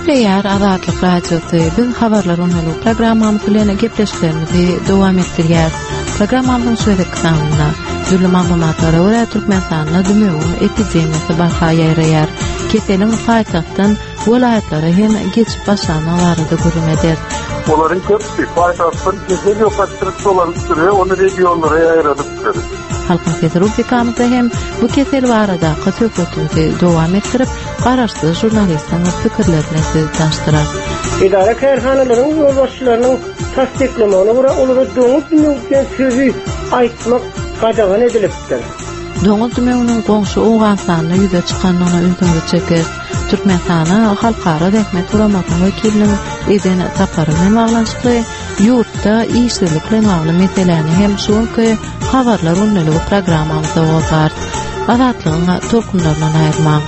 Gepleýär Azatlyk Radiosy. Biz habarlar gündelik programmamyz bilen gepleşiklerimizi dowam etdirýäris. Programmamyzyň şu gezekki sanynda dürli maglumatlara görä Türkmenistanda dümewiň epidemiýasy barha ýaýraýar. Keseliň paýtagtdan welaýatlara hem geçip başlandygy barada gürrüň ederis. Olaryň köpüsi paýtagtdan kesel ýokaşdyryp dolanypdyr we ony regionlara ýaýradypdyr. Halkyň sesi rubrikamyzda hem bu kesel baradaky söhbetimizi dowam etdirip, garaşsyz žurnalistiň pikirleri bilen sizi tanyşdyrarys. Edara-kärhanalaryň ýolbaşçylarynyň tassyklamagyna görä, olara doňuz dümegi diýen sözi aýtmak gadagan edilipdir. Doňuz dümewiniň goňşy Owganystanda ýüze çykandygyna ünsüňizi çekeris. Türkmenistana Halkara zähmet guramasynyň wekiliniň eden sapary bilen baglanyşykly ýurtda işsizlik bilen bagly meseläni hem şu günki Habarlar gündeligi programmamyzda gozgarys. Azatlygyň tolkunlaryndan aýrylmaň.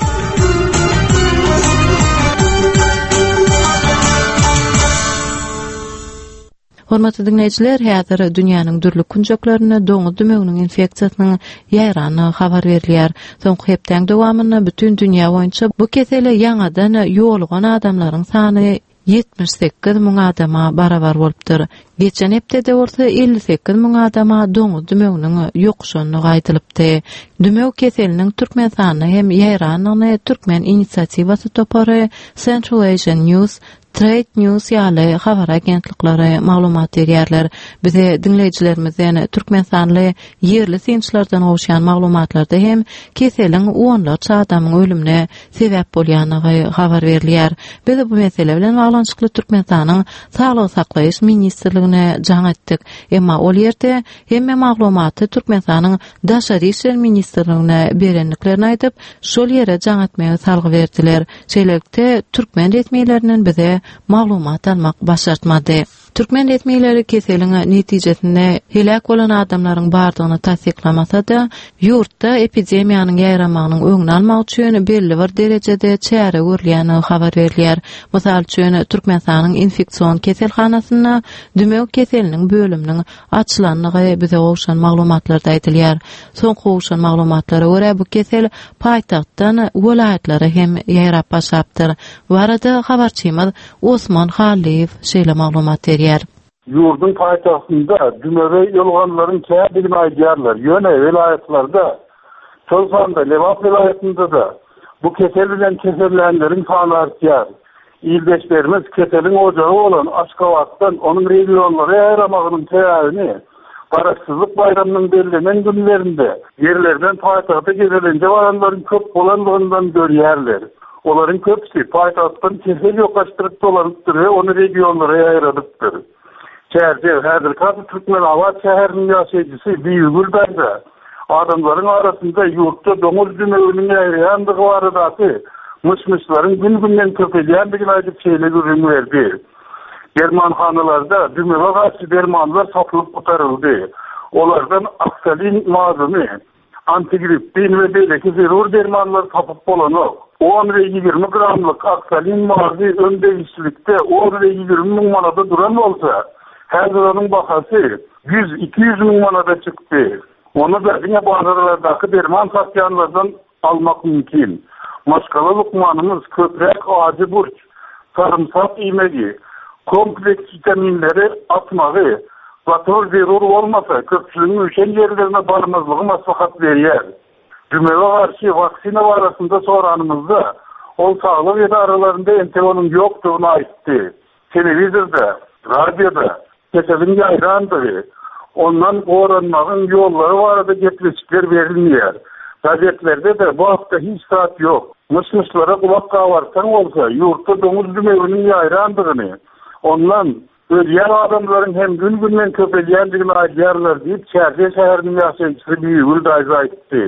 Hormatly diňleýjiler, häzir dünýäniň dürli künjeklerinde doňuz dümewiniň infeksiýasynyň ýaýrandygy habar berilýär. Soňky hepdäň dowamynda bütin dünýä boýunça bu kesele ýaňadan ýolugan adamlaryň sany 78 müň adama barabar bolupdyr. Geçen hepdede bolsa 58 müň adama doňuz dümewiniň ýokuşandygy aýdylypdy. Dümew keseliniň Türkmenistanda hem ýaýrandygyny Türkmen inisiatiwasy topary, Central Asian News, Trade News ýaly habar agentlikleri maglumat berýärler. Bize diňleýjilerimizden, türkmenistanly ýerli synçylardan gowuşýan maglumatlarda hem keseliň onlarça adamyň ölümine sebäp bolýandygy habar berilýär. Biz bu mesele bilen baglanyşykly Türkmenistanyň Saglygy saklaýyş ministrligine jaň etdik. Emma ol ýerde hemme maglumaty Türkmenistanyň Daşary işler ministrligine berendiklerini aýdyp, şol ýere jaň etmegi salgy berdiler. Şeýlelikde, türkmen resmilerinden bize maglumat almak başartmady. Türkmen resmileri keseliň netijesinde heläk bolan adamlaryň bardygyny tassyklamasa-da, ýurtda epidemiýanyň ýaýramagynyň öňüni almak üçin belli bir derejede çäre görülýändigi habar berilýär. Mysal üçin, Türkmenistanyň infeksion keselhanasynda dümew keseliniň bölüminiň açylandygy bize gowşan maglumatlarda aýdylýar. Soňky gowşan maglumatlara görä, bu kesel paýtagtdan welaýatlara hem ýaýrap başlapdyr. Bu barada habarçymyz Osman Hallyýew şeýle maglumat berýär. Ýurduň paýtagtynda dümewe ýoluganlaryň kändigini aýdýarlar. Ýöne welaýatlarda, şol sanda Lebap welaýatynda-da bu kesel bilen kesellänleriň sany artýar. Ildeşlerimiz keseliň ojagy bolan Aşgabatdan onuň regionlara ýaýramagynyň sebäbini Garaşsyzlyk baýramynyň bellenen günlerinde ýerlerden paýtagta gezelenje baranlaryň köp bolandygyndan görýärler. Olaryň köpüsi paýtagtdan kesel ýokaşdyryp dolanypdyr we ony regionlara ýaýradypdyr. Çärjew, häzirki ady Türkmenabat şäheriniň ýaşaýjysy Bibigül daýza adamlaryň arasynda ýurtda doňuz dümewiniň ýaýraýandygy baradaky myş-myşlaryň gün-günden köpelýändigini aýdyp şeýle gürrüň berdi. Dermanhanalarda dümewe garşy dermanlar satylyp gutaryldy. Olardan aksalin mazyny, antigrippin we beýleki zerur dermanlary tapyp bolanok. On we 20 gramlyk aksalin mazy öň degişlilikde on we 20 müň manada duran bolsa, häzir onuň bahasy 100-200 müň manada çykdy. Ony-da diňe bazarlardaky derman satýanlardan almak mümkin. Maşgala lukmanymyz köpräk ajy burç, sarymsak iýmegi, kompleks witaminleri atmagy, gaty bir zerur bolmasa, köpçüligiň üýşen ýerlerine barmazlygy maslahat berýär. Dümewe garşy waksina barasynda soranymyzda, ol saglyk edaralarynda entek onuň ýokdugyny aýtdy. Telewizorda, radioda Keseliň ýaýrandygy, ondan goranmagyň ýollary barada gepleşikler berilmeýär. Gazetlerde-de bu hakda hiç zat ýok. Myş-myşlara gulak gabartsaň bolsa, ýurtda doňuz dümewiniň ýaýrandygyny, ondan ölýän adamlaryň hem gün-günden köpelýändigini aýdýarlar diýip, Çärjew şäheriniň ýaşaýjysy Bibigül daýza aýtdy.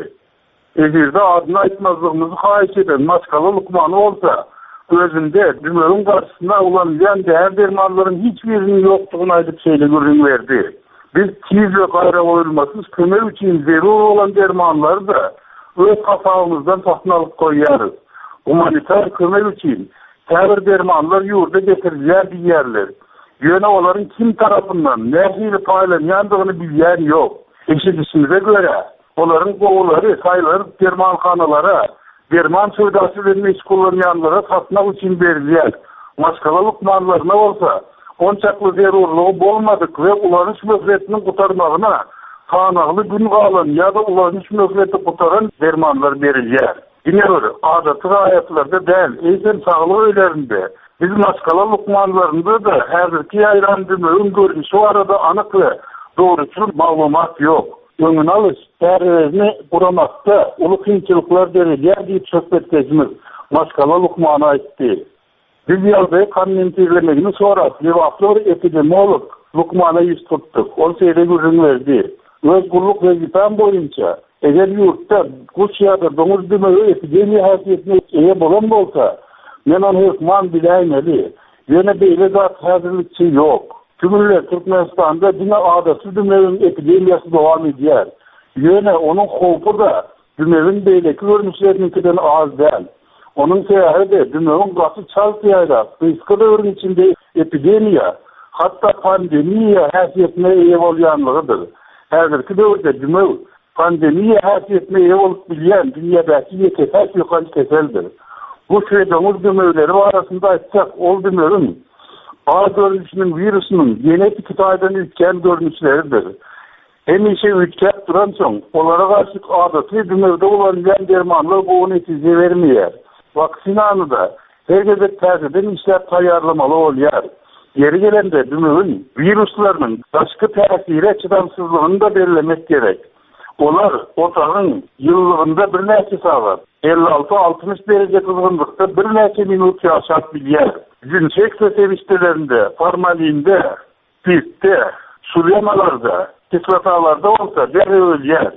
Efirde adyny aýtmazlygymyzy haýyş eden maşgala lukmany bolsa, özünde dümewiň garşysyna ulanylýan däri-dermanlaryň hiç biriniň ýokdugyny aýdyp şeýle gürrüň berdi, Biz tiz we gaýragoýulmasyz kömek üçin zerur bolan dermanlary-da öz hasabymyzdan satyn alyp goýýarys. Gumanitar kömek üçin käbir dermanlar ýurda getirilýär diýýärler. Ýöne olaryň kim tarapyndan, nähili paýlanýandygyny bilýän ýok. Eşidişimize görä, Olaryň gowulary saýlanyp dermanhanalara, derman söwdasy bilen meşgullanýanlara satmak üçin berilýär. Maşgala lukmanlaryna bolsa, onçakly zerurlygy bolmadyk we ulanyş möhletiniň gutarmagyna sanagly gün galan ýa-da ulanyş möhleti gutaran dermanlar berilýär. Diňe bir adaty raýatlarda däl, eýsem saglyk öýlerinde, biz maşgala lukmanlarynda-da häzirki ýaýran dümewiň görnüşi barada anyk we dogruçyl maglumat ýok. Öňüni alyş çärelerini guramakda uly kynçylyklar döredýär diýip söhbetdeşimiz, maşgala lukmany aýtdy. Biz ýagdaýy kommentirlemegini sorap, lebaply bir epidemiolog lukmana ýüz tutduk. Ol şeýle gürrüň berdi, Öz gulluk wezipäm boýunça, eger ýurtda guş ýa-da doňuz dümewi epidemiýa häsiýetine eýe bolan bolsa, men ony hökman biläýmeli. Ýöne beýle zat häzirlikçe ýok. Şu günler Türkmenistanda diňe adaty dümewiň epidemiýasy dowam edýär. Ýöne onuň howpy-da Dümewiň beýleki görnüşleriniňkiden az däl. Onuň sebäbi-de dümewiň gaty çalt ýaýrap, gysga döwrüň içinde epidemiýa, hatda pandemiýa häsiýetine eýe bolýanlygydyr. Häzirki döwürde dümew pandemiýa häsiýetine eýe bolup bilýän dünýädäki ýeke-täk ýokanç keseldir. Guş we doňuz dümewleri barasynda aýtsak, ol dümewiň A görnüşiniň wirusynyň genetiki taýdan üýtgän görnüşleridir. Hemişe üýtgäp duransoň, olara garşy adaty dümewde ulanylýan dermanlar gowy netije bermeýär. Waksinany-da her gezek täzeden işläp taýýarlamaly bolýar. Ýeri gelende, dümewiň wiruslarynyň daşky täsire çydamsyzlygyny-da bellemek gerek. Olar otagyň ýylylygynda birnäçe sagat, 56-60 dereje gyzgynlykda birnäçe minut ýaşap bilýär. Dezinfeksiýa serişdelerinde, formalinde, Spirtde, sulemalarda, kislotalarda bolsa derrew ölýär.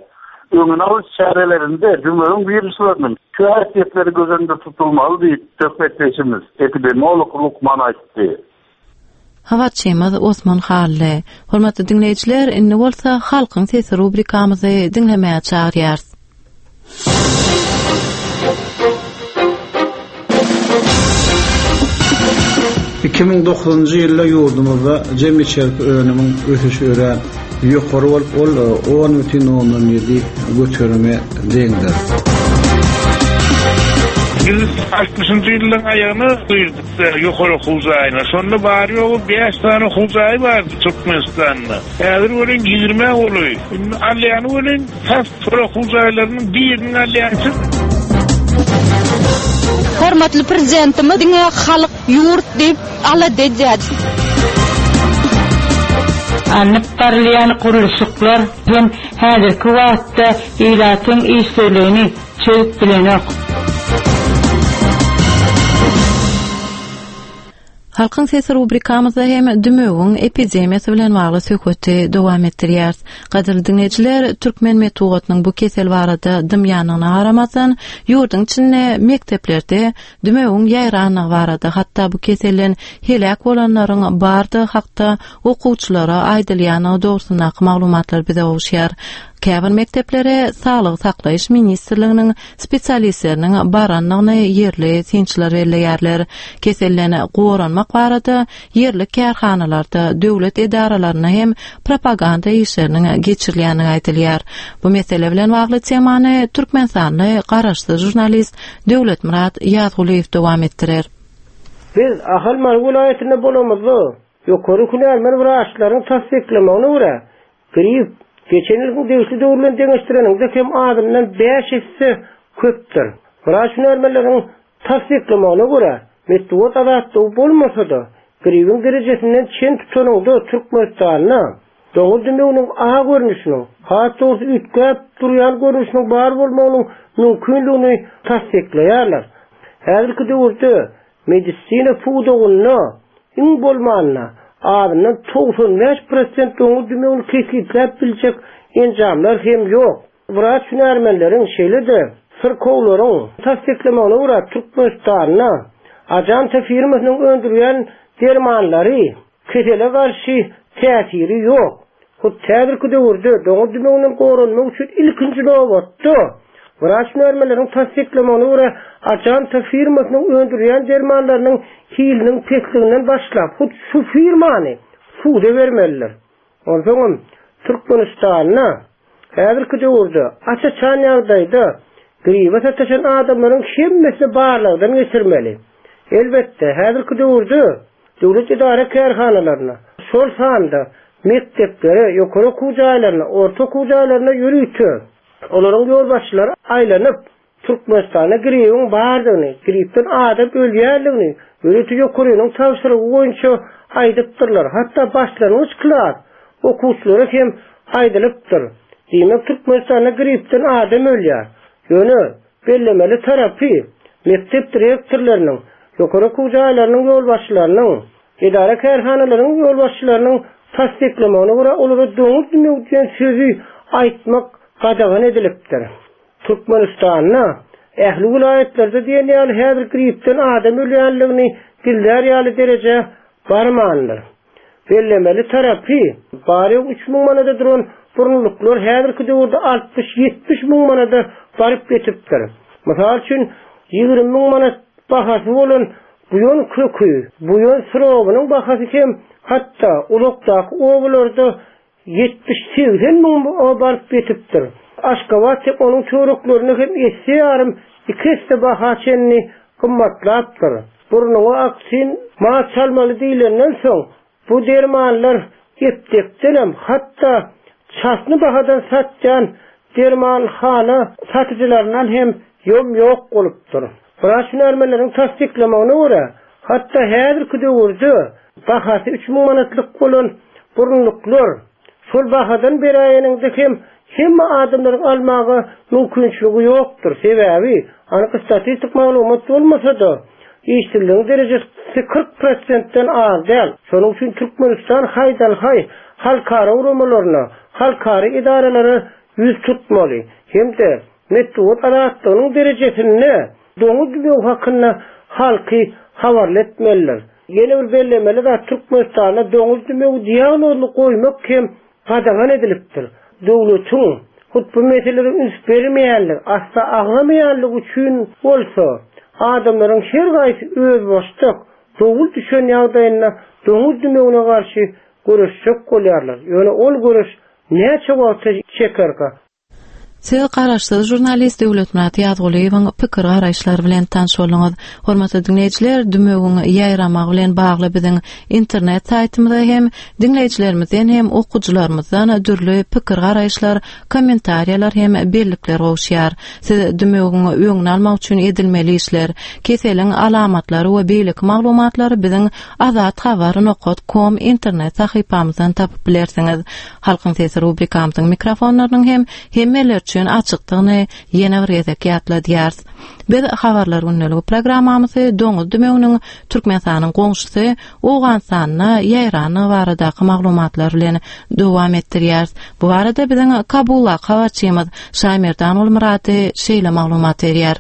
Öňüni alyş çärelerinde dümewiň wiruslarynyň şu häsiýetleri göz öňünde tutulmaly diýip, söhbetdeşimiz, epidemiolog lukman aýtdy. Habarçymyz Osman Hally. Hormatly diňleýjiler, indi bolsa Halkyň sesi rubrikamyzy diňlemäge çagyrýarys. 2009-njy ýylda ýurdumyzda jemi içerki önümiň ösüşi örän ýokary bolup, ol 10,7 göterime deňdir. Biz altmyşynjy ýyllaryň aýagyna girdik ýokary okuw jaýyna. Şonda bary-ýogy bäş sany okuw jaýy bardy Türkmenistanda. Häzir welin ýigrimä golaý. Indi alýany welin tas Şol okuw jaýlarynyň birini alýançy. Hormatly Prezidentimiz diňe halk, ýurt diýip alada edýär. Alnyp barylýan gurluşyklar hem häzirki wagtda ilatyň işsizligini çözüp bilenok. Halkyň sesi rubrikamyzda hem dümewiň epidemiýasy bilen bagly söhbeti dowam etdirýäris. Gadyrly diňleýjiler, türkmen metbugatynyň bu kesel barada dymýandygyna garamazdan, ýurduň içinde mekdeplerde dümewiň ýaýrandygy barada, hatda bu keselden heläk bolanlaryň bardygy hakda okuwçylara aýdylýandygy dogrusyndaky maglumatlar bize gowuşýar. Käbir mekdeplere Saglygy saklaýyş ministrliginiň spesialistleriniň barandygyny ýerli synçylar belleýärler. Keselden goranmak barada ýerli kärhanalarda, döwlet edaralarynda hem propaganda işleriniň geçirilýändigi aýdylýar. Bu mesele bilen bagly temany türkmenistanly garaşsyz žurnalist Döwletmyrat Ýazgulyýew dowam etdirer. Biz Ahal-Mary welaýatynda bolamyzda, ýokary hünärmen wraçlaryň tassyklamagyna görä, Grip, geçen ýylkyň degişli döwri bilen deňeşdireniňde hem azyndan bäş esse köpdür. Wraç hünärmenleriň tassyklamagyna görä, metbugat azatlygy bolmasa-da, gribiň derejesinden çen tutanyňda Türkmenistanda doňuz dümewiniň A görnüşiniň, has dogrusy üýtgäp durýan görnüşiniň bar bolmagynyň mümkindigini tassyklaýarlar. Häzirki döwürde Medisina pudagynda iň bolmanda azyndan 95 prosent doňuz dümewini kesgitläp biljek enjamlar hem ýok. Wraç hünärmenleriň, şeýle-de syrkawlaryň tassyklamagyna görä, Türkmenistanda Ajanta firmasynyň öndürýän dermanlary Kesele garşy täsiri ýok. Hut häzirki döwürde doňuz dümewinden goranmak üçin ilkinji nobatda, wraç hünärmenleriň tassyklamagyna görä, Ajanta firmasynyň öndürýän dermanlarynyň hiliniň pesliginden başlap, hut şu firmany suda bermelidir. Onsoňam, Türkmenistanda Häzirki döwürde aç-açan ýagdaýda gribe sataşan adamlaryň hemmesini barlagdan geçirmeli. Elbetde, häzirki döwürde döwlet edara-kärhanalaryna, şol sanda mekdeplere, ýokary okuw jaýlaryna, orta okuw jaýlaryna ýörite olaryň ýolbaşçylary aýlanyp, Türkmenistanda gribiň bardygyny, gripden adam ölýändigini ýörite ýokarynyň tabşyrygy boýunça aýdypdyrlar. Hatda başlangyç klas okuwçylara hem aýdylypdyr. Diýmek, Türkmenistanda gripden adam ölýär. Ýöne, bellemeli tarapy, mekdep direktorlarynyň, ýokary okuw jaýlarynyň ýolbaşçylarynyň, edara-kärhanalaryň ýolbaşçylarynyň tassyklamagyna görä, olara doňuz dümewi diýen sözi aýtmak gadagan edilipdir. Türkmenistanda ähli welaýatlarda diýen ýaly häzir gripden adam ölýänligini gizlär ýaly derejä barmandyr. Bellemeli tarapy, bary-ýogy 3000 manada duran burunlyklar häzirki döwürde altmyş-ýetmiş müň manada baryp ýetipdir. Mysal üçin, 20 müň manat bahasy bolan buýan köki, buýan sirobynyň bahasy hem hatda uzakdaky obalarda Ýetmiş-segsen müň baryp ýetipdir. Aşgabat hem onuň töwereklerinde hem esse ýarym, iki esse baha çenli gymmatlapdyr. Burnuňa aksin maz çalmaly diýlenden soň, bu dermanlar eptekdenem, hatda çasny bahadan satýan dermanhana satyjylaryndan hem ýom-ýok bolupdyr. Wraç hünärmenleriň tassyklamagyna görä, hatda häzirki döwürde bahasy 3000 manatlyk bolan burunlyklar şol bahadan beräýeniňde hem hemme adamlaryň almaga mümkinçiligi ýokdur. Sebäbi, anyk statistik maglumat bolmasa-da, işsizligiň derejesi 40 prosentden az däl. Şonuň üçin Türkmenistan haýdan-haý halkara guramalaryna, halkara edaralara ýüz tutmaly hem-de Metbugat azatlygynyň derejesinde doňuz dümewi hakynda halky habarly etmelidir. Ýene bir bellemeli zat Türkmenistanda doňuz dümewi diagnozyny goýmak hem gadagan edilipdir. Döwletiň hut bu meselelere üns bermeýänligi, asla agzamaýanlygy üçin bolsa, adamlaryň her gaýsy özbaşdak, dowul düşen ýagdaýynda doňuz dümewine garşy göreşjek bolýarlar. Ýöne ol göreş näçe wagta çekerka? Siz garaşsyz žurnalist Döwletmyrat Ýazgulyýewiň pikir-garaýyşlary bilen tanyş bolduňyz. Hormatly diňleýjiler, dümewiň ýaýramagy bilen bagly biziň internet saýtymyza hem diňleýjilerimizden hem okyjylarymyzdan dürli pikir-garaýyşlar, kommentariýalar hem bellikler gowuşýar. Siz dümewiň öňüni almak üçin edilmeli işler, keseliň alamatlary we beýleki maglumatlary biziň azathabar nokat kom internet sahypamyzdan tapyp bilersiňiz. Halkyň sesi rubrikamyzyň mikrofonlarynyň hem hemmeler üçin açykdygyny ýene bir gezek ýatladýarys. Biz Habarlar gündeligi programmamyzy doňuz dümewiniň Türkmenistanyň goňşusy Owganystanda ýaýrandygy baradaky maglumatlar bilen dowam etdirýäris. Bu barada biziň Kabuldaky habarçymyz Şaýmerdan Gulmyrady şeýle maglumat berýär.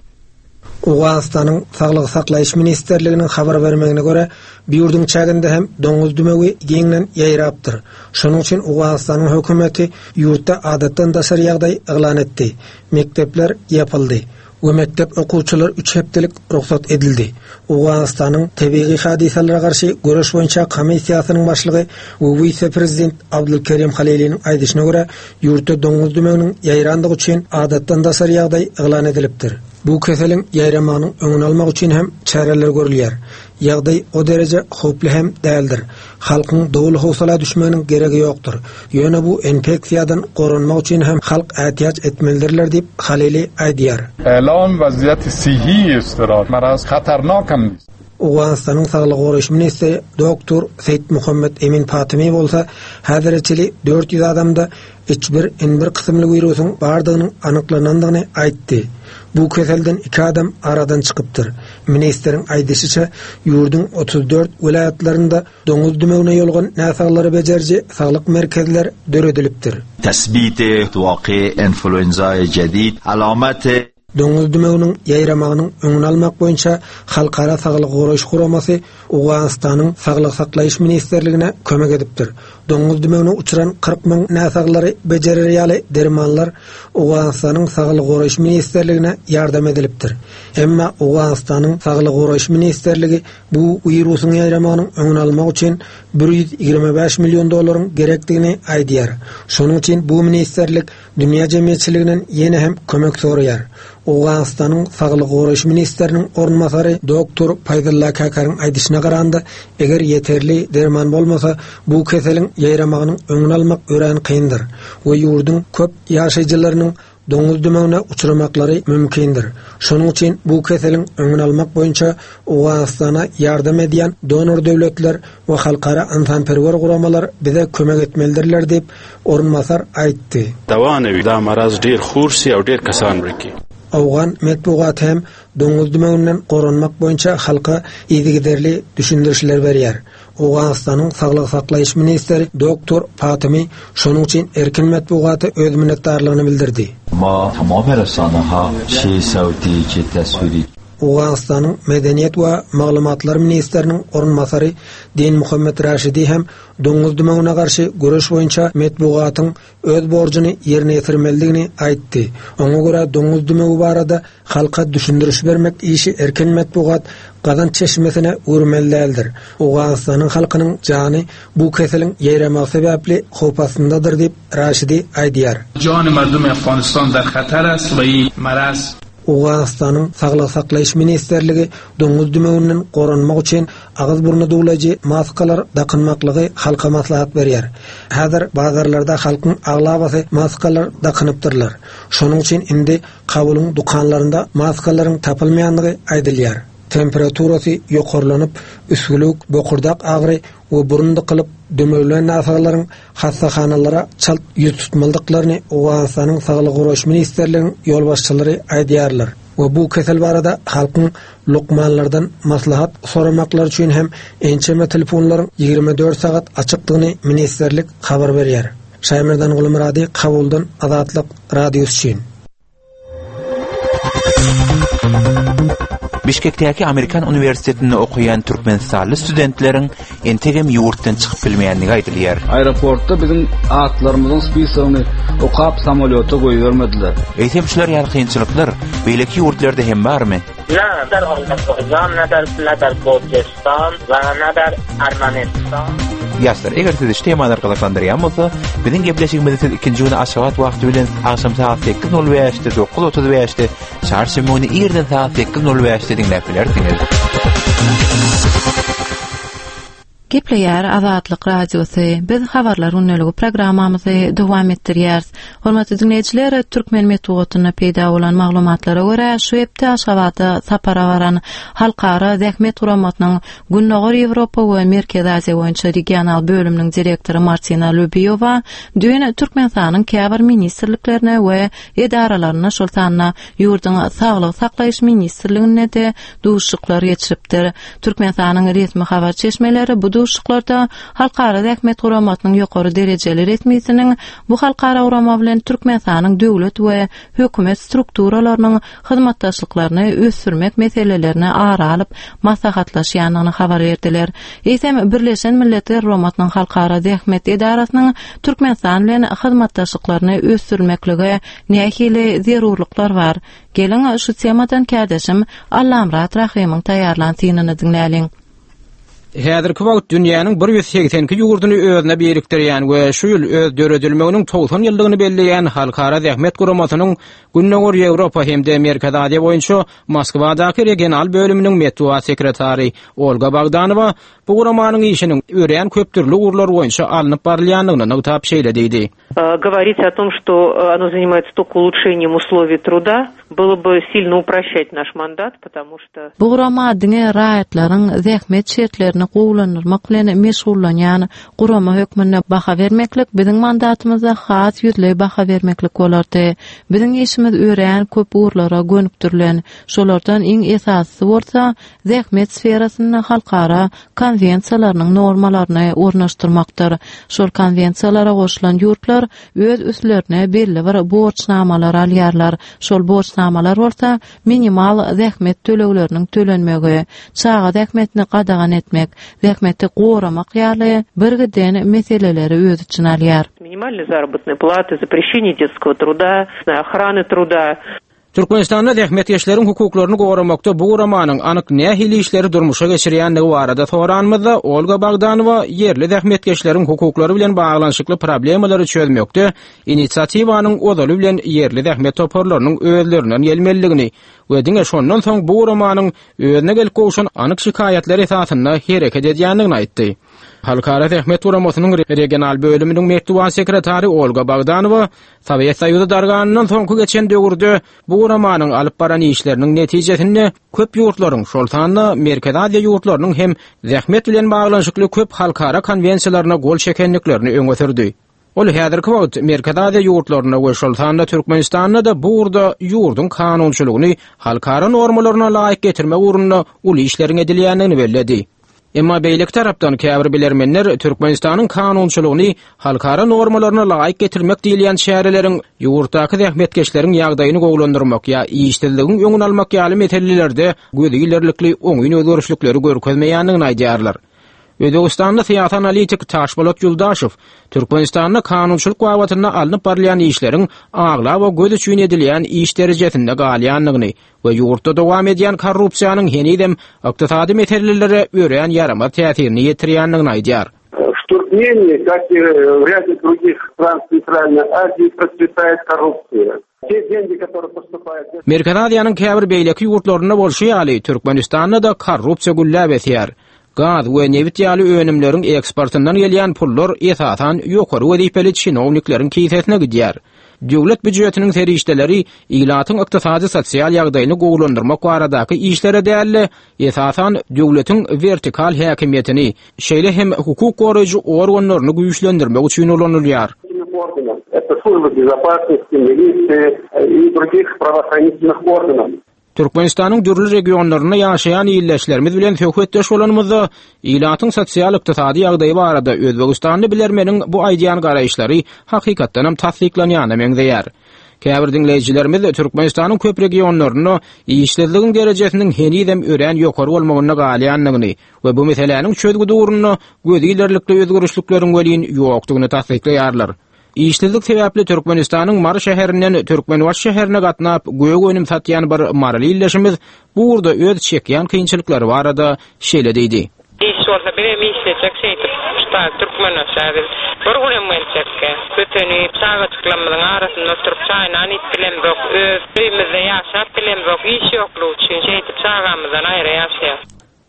Owganystanyň Saglygy saklaýyş ministrliginiň habar bermegine görä, bu ýurduň çäginde hem doňuz dümewi giňden ýaýrapdyr. Şonuň üçin Owganystanyň hökümeti ýurtda adatdan daşary ýagdaý yglan etdi. Mekdepler ýapyldy we mekdep okuwçylary üç hepdelik rugsat edildi. Owganystanyň Tebigy hadysalara garşy göreş boýunça komissiýasynyň başlygy we wise-prezident Abdulkerim Haliliniň aýdyşyna görä, Ýurtda doňuz dümewiniň ýaýrandygy üçin adatdan daşary ýagdaý yglan edilipdir. Bu keseliň ýaýramagynyň öňüni almak üçin hem çäreler görülýär. Ýagdaý o dereje howply hem däldir. Halkyň doly howsala düşmeginiň geregi ýokdur. Ýöne bu infeksiýadan goranmak üçin hem halk ätiýaç etmelidirler diýip, Halili aýdýar. Elam waziýati sihi istirab maraz hatarnak hem nist. Owganystanyň saglygy goraýyş ministri doktor Seýit Muhammet Emin Fatimi bolsa häzire çenli 400 adamda H1N1 kysymly wirusyň bardygynyň anyklanandygyny aýtdy. Bu keselden iki adam aradan çykypdyr. Ministriň aýdyşyça, ýurduň 34 welaýatlarynda doňuz dümewine ýolugan näsaglary bejeriji saglyk merkezler döredilipdir. Tesbit waqi influenzaý jedid alamat Doňuz dümewiniň ýaýramagynyň öňüni almak boýunça Halkara saglygy goraýyş guramasy Owganystanyň Saglygy saklaýyş ministrligine kömek edipdir. Doňuz dümewine uçran 40 müň näsaglary bejerer ýaly dermanlar Owganystanyň Saglygy goraýyş ministrligine ýardam edilipdir. Emma Owganystanyň Saglygy goraýyş ministrligi bu wirusyň ýaýramagynyň öňüni almak üçin 125 million dollaryň gerekdigini aýdýar. Şonuň üçin bu ministrlik dünýä jemgyýetçiliginden ýene hem kömek soraýar. Owganystanyň saglygy goraýyş ministriniň orunbasary doktor Paýzylla Käkäriň aýdyşyna garanda, eger ýeterli derman bolmasa, bu keseliň ýaýramagynyň öňüni almak örän kyndyr we ýurduň köp ýaşaýjylarynyň doňuz dümewine uçramaklary mümkindir. Şonuň üçin bu keseliň öňüni almak boýunça Owganystana ýardam edýän donor döwletler we halkara ynsanperwer guramalar bize kömek etmelidirler diýip, orunbasar aýtdy. Dawa ne wi da maraz ډیر خور سی او ډیر کسان مړه کی. Owgan metbugaty hem doňuz dümewinden goranmak boýunça halka yzygiderli düşündirişler berýär. Owganystanyň saglygy saklaýyş ministri doktor Fatymy şonuň üçin erkin metbugata öz minnetdarlygyny bildirdi. Ma tamam rasanaha çe sawti çe taswiri. Owganystanyň medeniýet we maglumatlar ministriniň orunbasary Dinmuhammet Raşidi hem doňuz dümewine garşy göreş boýunça metbugatyň öz borjuny ýerine ýetirmelidigini aýtdy. Oňa görä doňuz dümewi barada halka düşündiriş bermek işi erkin metbugat gazanç çeşmesine öwürmeli däldir. Owganystanyň halkynyň jany bu keseliň ýaýramagy sebäpli howp astyndadyr diýip, Raşidi aýdýar. Jany mardum Afganistan dar hatar ast we i maraz. Owganystanyň Saglygy saklaýyş ministrligi doňuz dümewinden goranmak üçin agyz-burny duwlaýjy maskalar dakynmaklygy halka maslahat berýär. Häzir bazarlarda halkyň aglabasy maskalar dakynypdyrlar. Şonuň üçin indi Kabulyň dükanlarynda maskalaryň tapylmaýandygy aýdylýar. Temperaturasy ýokarlanyp, üsgülewük, bokurdak agyry we burun dykylyp, dümewlän näsaglaryň hassahanalara çalt ýüz tutmalydyklaryny Owganystanyň Saglygy goraýyş ministrliginiň ýolbaşçylary aýdýarlar we bu kesel barada halkyň lukmanlardan maslahat soramaklary üçin hem ençeme telefonlaryň 24 sagat açykdygyny ministrlik habar berýär. Şaýmerdan Gulmyrady Kabuldan Azatlyk Radiosy üçin. Bişkekdäki Amerikan uniwersitetinde okaýan türkmenistanly studentleriň entegem ýurtdan çykyp bilmeýändigi aýdylýar. Aeroportda biziň atlarymyzyň spisogyny okap samolýota goýbermediler. Eýsem şular ýaly kynçylyklar beýleki ýurtlarda hem barmy? Ne der Azerbaýjan, ne der ne der Gürjistan we ne der Ermenistan. Ýaşlar, eger sizi şu temalar gyzyklandyrýan bolsa, biziň gepleşigimizi siz ikinji güni Aşgabat wagty bilen agşam sagat 8:05-de, 9:35-de, çarşenbe güni irden sagat 8:05-de diňläp bilersiňiz. Gepleýär Azatlyk Radiosy. Biz Habarlar gündeligi programmamyzy dowam etdirýäris. Hormatly diňleýjiler, türkmen metbugatynda peýda bolan maglumatlara görä, şu hepde Aşgabada sapara baran Halkara zähmet guramasynyň Gündogar Ýewropa we Merkezi Aziýa boýunça regional bölüminiň direktory Martina Lubýowa düýn Türkmenistanyň käbir ministrliklerine we edaralarynda, şol sanda ýurduň Saglygy saklaýyş ministrliginde-de duşuşyklar geçiripdir. Türkmenistanyň resmi habar çeşmeleri bu duşuşyklarda Halkara zähmet guramasynyň ýokary derejeli resmisiniň bu halkara gurama bilen Türkmenistanyň döwlet we hökümet strukturalarynyň hyzmatdaşlyklaryny ösdürmek meselelerini ara alyp maslahatlaşýandygyny habar berdiler. Eýsem, Birleşen Milletler Guramasynyň Halkara zähmet edarasynyň Türkmenistan bilen hyzmatdaşlyklaryny ösdürmeklige nähili zerurlyklar bar? Geliň, şu temadan kärdeşim Allamyrat Rahymyň taýýarlan synyny diňläliň. Häzirki wagt dünýäniň 182 ýurduny özüne birikdirýän we şu ýyl öz döredilmeginiň 90 ýyllygyny belleýän Halkara zähmet guramasynyň Gündogar Ýewropa hem-de Merkezi Aziýa boýunça Moskwadaky regional bölüminiň metbugat sekretary Olga Bogdanowa bu guramanyň işiniň örän köpdürli ugurlar boýunça alnyp barylýandygyny nygtap şeýle diýdi. Говорить о том, что оно занимается только улучшением условий труда, было бы сильно упрощать наш мандат, потому что... Bu gurama diňe raýatlaryň zähmet şertlerini gowulandyrmak bilen meşgullanýan gurama hökmünde baha bermeklik biziň mandatymyzda has ýüzleý baha bermeklik bolardy. Biziň işimiz örän köp ugurlara gönükdirilen, şolardan iň esasysy bolsa zähmet sferasynda halkara konwensiýalarynyň normalaryny ornaşdyrmakdyr. Şol konwensiýalara goşulan ýurtlar öz üstlerine belli bir borçnamalary alýarlar. Şol borçnamalar. borçnamalar bolsa minimal zähmet tölegleriniň tölenmegi, çaga zähmetini gadagan etmek, zähmeti goramak ýaly birgiden meseleleri öz içine alýar. Минимальной заработной платы, запрещение детского труда, охраны труда. Türkmenistanda zähmetkeşleriň hukuklaryny goramakda bu guramanyň anyk nähili işleri durmuşa geçirýändigi barada soranymyzda, Olga Bogdanowa ýerli zähmetkeşleriň hukuklary bilen baglanyşykly problemalary çözmekde inisiatiwanyň ozaly bilen ýerli zähmet toparlarynyň özlerinden gelmelidigini we diňe şondan soň bu guramanyň özüne gelip gowşan anyk şikaýatlar esasynda hereket edýändigini aýtdy. Halkara Zähmet Guramasynyň regional bölüminiň metbugat sekretary Olga Bogdanowa Sowet Soýuzy darganyndan soňky geçen döwürde bu guramanyň alyp baran işleriniň netijesinde köp ýurtlaryň, şol sanda Merkezi Aziýa ýurtlarynyň hem zähmet bilen baglanyşykly köp halkara konwensiýalaryna gol çekendiklerini öňe sürdi. Ol häzirki wagt Merkezi Aziýa ýurtlarynda we şol sanda Türkmenistanda-da bu ugurda ýurduň kanunçylygyny halkara normalaryna laýyk getirmek ugrunda uly işleriň edilýändigini belledi. Emma beýleki tarapdan käbir bilermenler Türkmenistanyň kanunçylygyny halkara normalaryna laýyk getirmek diýilýän çäreleriň ýurtdaky zähmetkeşleriň ýagdaýyny gowulandyrmak ýa işsizligiň öňüni almak ýaly meselelerde gözi ilerlikli oňyn özgerişlikleri görkezmeýändigini aýdýarlar. Özbegistanly syýasy analitik Taşbolat Ýuldaşew Türkmenistanda kanunçylyk babatynda alnyp barylýan işleriň aglaba göz üçin edilýän iş derejesinde galýandygyny we ýurtda dowam edýän korrupsiýanyň henizem ykdysady meselelere örän ýaramaz täsirini ýetirýändigini aýdýar. W Turkmenii, как и w rяде drugih stran Centralной Azii, procwetaet korrupsiýa. Te dengi, которые postupaýut. Merkezi Aziýanyň käbir beýleki ýurtlarynda bolşy ýaly, Türkmenistanda-da korrupsiýa gülläp ösýär. Gaz we nebit ýaly önümleriň eksportyndan gelýän pullar esasan ýokary wezipeli çinownikleriň kisesine gidýär. Döwlet býujetiniň serişdeleri ilatyň ykdysady-sosial ýagdaýyny gowulandyrmak baradaky işlere däl-de, esasan döwletiň wertikal häkimiýetini, şeýle hem hukuk goraýjy organlaryny güýçlendirmek üçin ulanylýar. Türkmenistanyň dürli regionlarynda ýaşaýan ildeşlerimiz bilen söhbetdeş bolanymyzda, ilatyň sosial-ykdysady ýagdaýy barada özbegistanly bilermeniň bu aýdýan garaýyşlary hakykatdanam tassyklanýana meňzeýär. Käbir diňleýjilerimiz Türkmenistanyň köp regionlarynda işsizligiň derejesiniň henizem örän ýokary bolmagynda galýandygyny we bu meseläniň çözgüdi ugrunda gözi ilerlikli özgerişlikleriň welin ýokdugyny tassyklaýarlar. Işsizlik sebäpli Türkmenistanyň Mary şäherinden Türkmenbaşy şäherine gatnap, gök önüm satýan bir maryly ildeşimiz bu ugurda öz çekýän kynçylyklary barada şeýle diýdi. Iş bolsa bizem işlejek şeýdip şu Türkmenbaşa biz bir günem geljekkä. Ötenip çagajyklarymyzyň arasynda oturyp çaý-nan iýip bilemzok, öz öýümizde ýaşap bilemzok, iş ýoklugy üçin şeýdip çagamyzdan aýra ýaşaýas.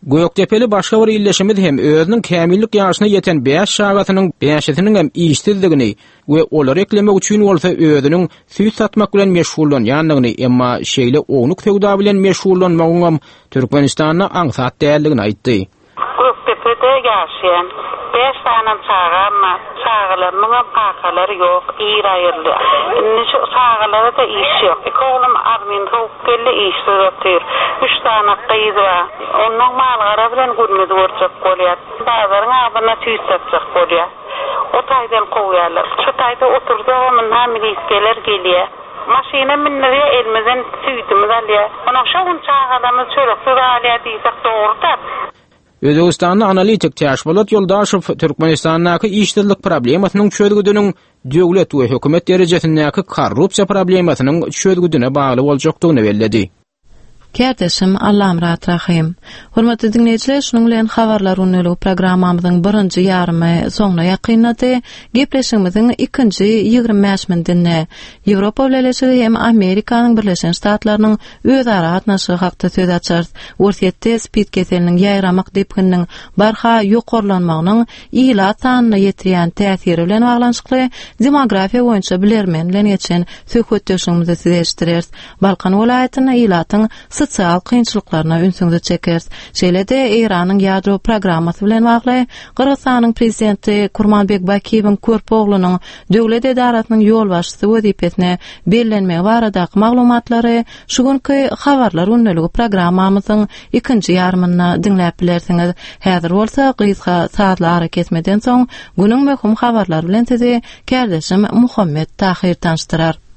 Gökdepeli başga bir ildeşimiz hem özüniň kämillik ýaşyna ýeten bäş çagasynyň bäşisiniňem işsizdigini we olary eklemek üçin bolsa özüniň süýt satmak bilen meşgullanýandygyny, emma şeýle ownuk söwda bilen meşgullanmagyňam Türkmenistanda aňsat däldigini aýtdy. Gökdepede ýaşaýan. Bäş sanam çagam bar. Çagalarymyňam kakalary ýok, ir aýryldy. Indi şu çagalara-da iş ýok. Iki oglum armyny sowup geldi, işsiz otyr. Üç sany gyz bar. Onnoň mal-gara bilen günümizi görjek bolýas. Bazaryň agzynda süýt satjak bolýas. O taýdan kowýarlar. Şu taýda otursagam ynha milisgeler gelýär. Maşyna mindirýär, elimizden süýdümizi alýar. Onnoň şo gün çagalarymyz çöreksiz galýar diýsek dogry-da. Özbegistanly analitik Täşpolat Ýoldaşow Türkmenistandaky işsizlik problemasynyň çözgüdiniň döwlet we hökümet derejesindäki korrupsiýa problemasynyň çözgüdine bagly boljakdygyny belledi. Kärdeşim Allamyrat Rahym. Hormatly diňleýjiler, şunuň bilen Habarlar gündeligi programmamyzyň birinji ýarymy soňuna ýakynlady. Gepleşigimiziň ikinji 25 minutynda Ýewropa Bileleşigi hem Amerikanyň Birleşen Ştatlarynyň özara gatnaşygy hakda söz açarys. Orsýetde spid keseliniň ýaýramak depgininiň barha ýokarlanmagynyň ilat sanyna ýetirýän täsiri bilen baglanyşykly demografiýa boýunça bilermen bilen geçen söhbetdeşligimizi size eşitdireris. Balkan welaýatynda ilatyň sosial kynçylyklaryna ünsüňizi çekeris. Şeýle-de Eýranyň ýadro programmasy bilen bagly Gyrgyzystanyň prezidenti Kurmanbek Bakiýewiň körpe oglunyň döwlet edarasynyň ýolbaşçysy wezipesine bellenmegi baradaky maglumatlary şu günki Habarlar gündeligi programmamyzyň ikinji ýarymynda diňläp bilersiňiz. Häzir bolsa gysga sazly arakesmeden soň günüň möhüm habarlary bilen sizi kärdeşim Muhammet Tahyr tanyşdyrar.